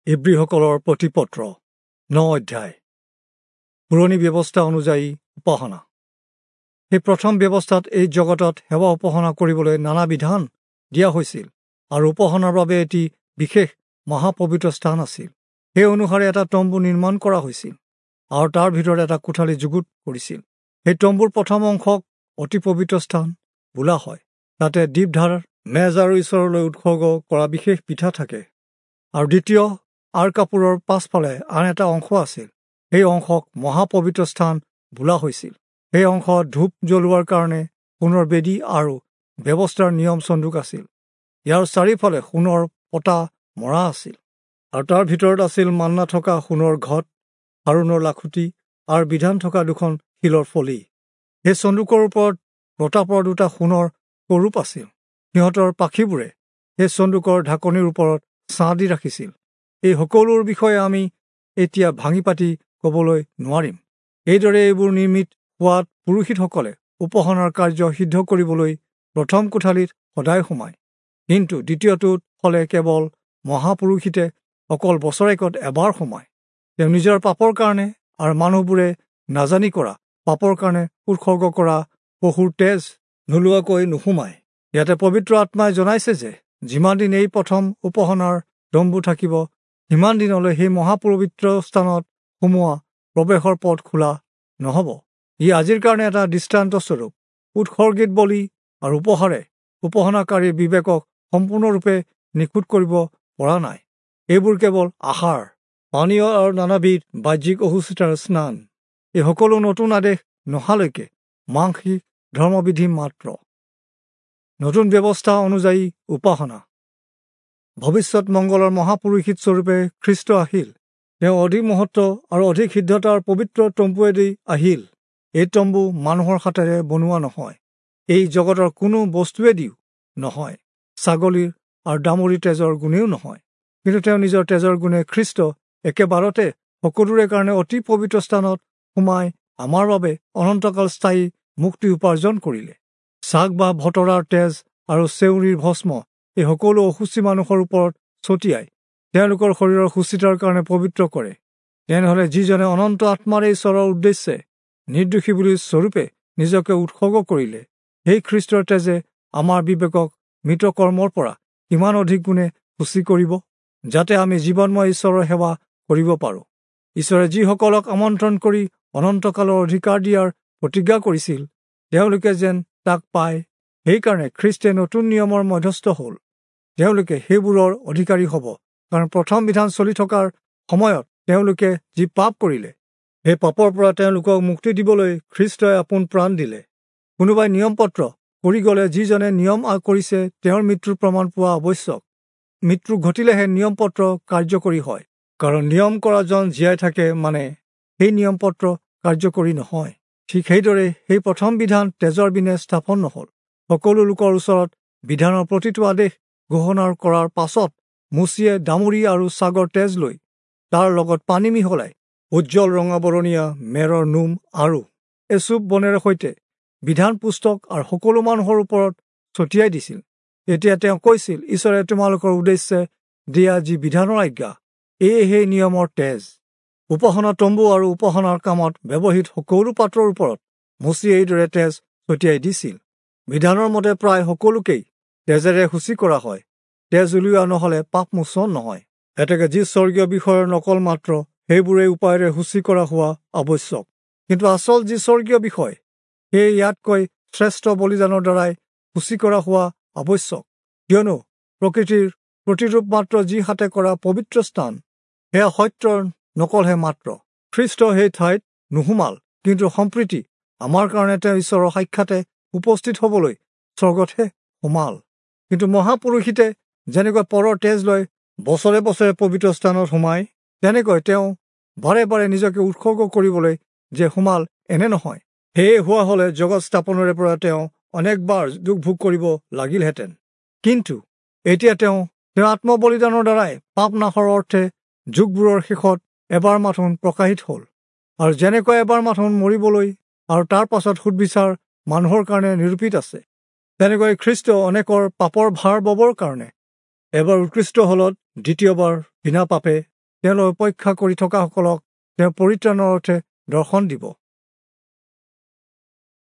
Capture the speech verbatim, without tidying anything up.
ইব্ৰীসকলৰ প্ৰতিপত্ৰ ন অধ্যায়। পুৰণি ব্যৱস্থা অনুযায়ী উপাসনা। সেই প্ৰথম ব্যৱস্থাত এই জগতত সেৱা উপাসনা কৰিবলৈ নানা বিধান দিয়া হৈছিল আৰু উপাসনাৰ বাবে এটি বিশেষ মহাপবিত্ৰ স্থান আছিল। সেই অনুসাৰে এটা তম্বু নিৰ্মাণ কৰা হৈছিল আৰু তাৰ ভিতৰত এটা কোঠালি যুগুত কৰিছিল। সেই তম্বুৰ প্ৰথম অংশক অতি পবিত্ৰ স্থান বোলা হয়। তাতে দীপধাৰ মেজ আৰু ঈশ্বৰলৈ উৎসৰ্গ কৰা বিশেষ পিঠা থাকে। আৰু দ্বিতীয় আঁৰ কাপোৰৰ পাছফালে আন এটা অংশ আছিল। সেই অংশক মহাপবিত্ৰ স্থান বোলা হৈছিল। সেই অংশত ধূপ জ্বলোৱাৰ কাৰণে সোণৰ বেদী আৰু ব্যৱস্থাৰ নিয়ম চন্দুক আছিল। ইয়াৰ চাৰিওফালে সোণৰ পতা মৰা আছিল আৰু তাৰ ভিতৰত আছিল মান্না থকা সোণৰ ঘট, হাৰোণৰ লাখুটি আৰু বিধান থকা দুখন শিলৰ ফলি। সেই চন্দুকৰ ওপৰত প্ৰতাপৰ দুটা সোণৰ কৰূপ আছিল। সিহঁতৰ পাখিবোৰে সেই চন্দুকৰ ঢাকনিৰ ওপৰত ছাঁ দি ৰাখিছিল। এই সকলোৰ বিষয়ে আমি এতিয়া ভাঙি পাতি ক'বলৈ নোৱাৰিম। এইদৰে এইবোৰ নিৰ্মিত হোৱাত পুৰোহিতসকলে উপাসনাৰ কাৰ্য সিদ্ধ কৰিবলৈ প্ৰথম কোঠালিত সদায় সোমায়, কিন্তু দ্বিতীয়টোত হ'লে কেৱল মহাপুৰোহিতে অকল বছৰেকত এবাৰ সোমায়। তেওঁ নিজৰ পাপৰ কাৰণে আৰু মানুহবোৰে নাজানি কৰা পাপৰ কাৰণে উৎসৰ্গ কৰা পশুৰ তেজ নোলোৱাকৈ নোসোমায়। ইয়াতে পবিত্ৰ আত্মাই জনাইছে যে যিমান দিন এই প্ৰথম উপাসনাৰ তম্বু থাকিব, সিমান দিনলৈ সেই মহাপবিত্ৰ স্থানত সোমোৱা প্ৰৱেশৰ পথ খোলা নহ'ব। ই আজিৰ কাৰণে এটা দৃষ্টান্তস্বৰূপ। উৎসৰ্গিত বলি আৰু উপহাৰে উপাসনাকাৰীৰ বিবেকক সম্পূৰ্ণৰূপে নিখুঁত কৰিব পৰা নাই। এইবোৰ কেৱল আহাৰ, পানীয় আৰু নানাবিধ বাহ্যিক অসুচিতাৰ স্নান। এই সকলো নতুন আদেশ নহালৈকে মাংসিক ধৰ্মবিধি মাত্ৰ। নতুন ব্যৱস্থা অনুযায়ী উপাসনা। ভৱিষ্যত মংগলৰ মহাপুৰোহিত স্বৰূপে খ্ৰীষ্ট আহিল। তেওঁ অধিক মহত্ব আৰু অধিক সিদ্ধতাৰ পবিত্ৰ তম্বুৱেদি আহিল। এই তম্বু মানুহৰ হাতেৰে বনোৱা নহয়, এই জগতৰ কোনো বস্তুৱেদিও নহয়, ছাগলীৰ আৰু দামুৰীৰ তেজৰ গুণেও নহয়, কিন্তু তেওঁ নিজৰ তেজৰ গুণে খ্ৰীষ্ট একেবাৰতে সকলোৰে কাৰণে অতি পবিত্ৰ স্থানত সোমাই আমাৰ বাবে অনন্তকাল স্থায়ী মুক্তি উপাৰ্জন কৰিলে। ছাগ বা ভতৰাৰ তেজ আৰু চেউৰীৰ ভস্ম এই সকলো অসুচি মানুহৰ ওপৰত ছটিয়াই তেওঁলোকৰ শৰীৰৰ সুচিতাৰ কাৰণে পবিত্ৰ কৰে। তেনেহ'লে যিজনে অনন্ত আত্মাৰে ঈশ্বৰৰ উদ্দেশ্যে নিৰ্দোষী বুলি স্বৰূপে নিজকে উৎসৰ্গ কৰিলে, সেই খ্ৰীষ্টৰ তেজে আমাৰ বিবেকক মৃত কৰ্মৰ পৰা কিমান অধিক গুণে সূচী কৰিব, যাতে আমি জীৱনময় ঈশ্বৰৰ সেৱা কৰিব পাৰোঁ। ঈশ্বৰে যিসকলক আমন্ত্ৰণ কৰি অনন্তকালৰ অধিকাৰ দিয়াৰ প্ৰতিজ্ঞা কৰিছিল, তেওঁলোকে যেন তাক পায়, সেইকাৰণে খ্ৰীষ্টে নতুন নিয়মৰ মধ্যস্থ হ'ল। তেওঁলোকে সেইবোৰৰ অধিকাৰী হ'ব, কাৰণ প্ৰথম বিধান চলি থকাৰ সময়ত তেওঁলোকে যি পাপ কৰিলে, সেই পাপৰ পৰা তেওঁলোকক মুক্তি দিবলৈ খ্ৰীষ্টই আপোন প্ৰাণ দিলে। কোনোবাই নিয়মপত্ৰ কৰি গ'লে যিজনে নিয়ম কৰিছে তেওঁৰ মৃত্যুৰ প্ৰমাণ পোৱা আৱশ্যক। মৃত্যু ঘটিলেহে নিয়মপত্ৰ কাৰ্যকৰী হয়, কাৰণ নিয়ম কৰাজন জীয়াই থাকে মানে সেই নিয়মপত্ৰ কাৰ্যকৰী নহয়। ঠিক সেইদৰে সেই প্ৰথম বিধান তেজৰ বিনে স্থাপন নহ'ল। সকলো লোকৰ ওচৰত বিধানৰ প্ৰতিটো আদেশ ঘোষণা কৰাৰ পাছত মোচিয়ে দামুৰি আৰু ছাগৰ তেজ লৈ তাৰ লগত পানী মিহলাই উজ্জ্বল ৰঙাবৰণীয়া মেৰৰ নোম আৰু এচুপ বনেৰে সৈতে বিধান পুস্তক আৰু সকলো মানুহৰ ওপৰত ছটিয়াই দিছিল। তেতিয়া তেওঁ কৈছিল, ঈশ্বৰে তোমালোকৰ উদ্দেশ্যে দিয়া যি বিধানৰ আজ্ঞা, এয়ে সেই নিয়মৰ তেজ। উপাসনা তম্বু আৰু উপাসনাৰ কামত ব্যৱহৃত সকলো পাত্ৰৰ ওপৰত মোচিয়ে এইদৰে তেজ ছটিয়াই দিছিল। বিধানৰ মতে প্ৰায় সকলোকেই তেজেৰে সূচী কৰা হয়। তেজ উলিওৱা নহ'লে পাপ মোচন নহয়। এতেকে যি স্বৰ্গীয় বিষয়ৰ নকল মাত্ৰ, সেইবোৰে উপায়েৰে সূচী কৰা হোৱা আৱশ্যক। কিন্তু আচল যি স্বৰ্গীয় বিষয়, সেয়ে ইয়াতকৈ শ্ৰেষ্ঠ বলিদানৰ দ্বাৰাই সূচী কৰা হোৱা আৱশ্যক। কিয়নো প্ৰকৃতিৰ প্ৰতিৰূপ মাত্ৰ যি হাতে কৰা পবিত্ৰ স্থান, সেয়া সত্যৰ নকলহে মাত্ৰ। খ্ৰীষ্ট সেই ঠাইত নোসোমাল, কিন্তু সম্প্ৰীতি আমাৰ কাৰণে তেওঁ ঈশ্বৰৰ সাক্ষাতে উপস্থিত হ'বলৈ স্বৰ্গতহে সোমাল। কিন্তু মহাপুৰোহিতে যেনেকৈ পৰৰ তেজ লৈ বছৰে বছৰে পবিত্ৰ স্থানত সোমায়, তেনেকৈ তেওঁ বাৰে বাৰে নিজকে উৎসৰ্গ কৰিবলৈ যে সোমাল এনে নহয়। সেয়ে হোৱা হ'লে জগত স্থাপনৰে পৰা তেওঁ অনেকবাৰ দুখ ভোগ কৰিব লাগিলহেঁতেন। কিন্তু এতিয়া তেওঁ তেওঁৰ আত্মবলিদানৰ দ্বাৰাই পাপ নাশৰ অৰ্থে যুগবোৰৰ শেষত এবাৰ মাথোন প্ৰকাশিত হ'ল। আৰু যেনেকৈ এবাৰ মাথোন মৰিবলৈ আৰু তাৰ পাছত সুদবিচাৰ মানুহৰ কাৰণে নিৰূপিত আছে, তেনেকৈ খ্ৰীষ্ট অনেকৰ পাপৰ ভাৰ ববৰ কাৰণে এবাৰ উৎকৃষ্ট হলত দ্বিতীয়বাৰ বিনা পাপে তেওঁলৈ অপেক্ষা কৰি থকাসকলক তেওঁ পৰিত্ৰাণৰ অৰ্থে দৰ্শন দিব।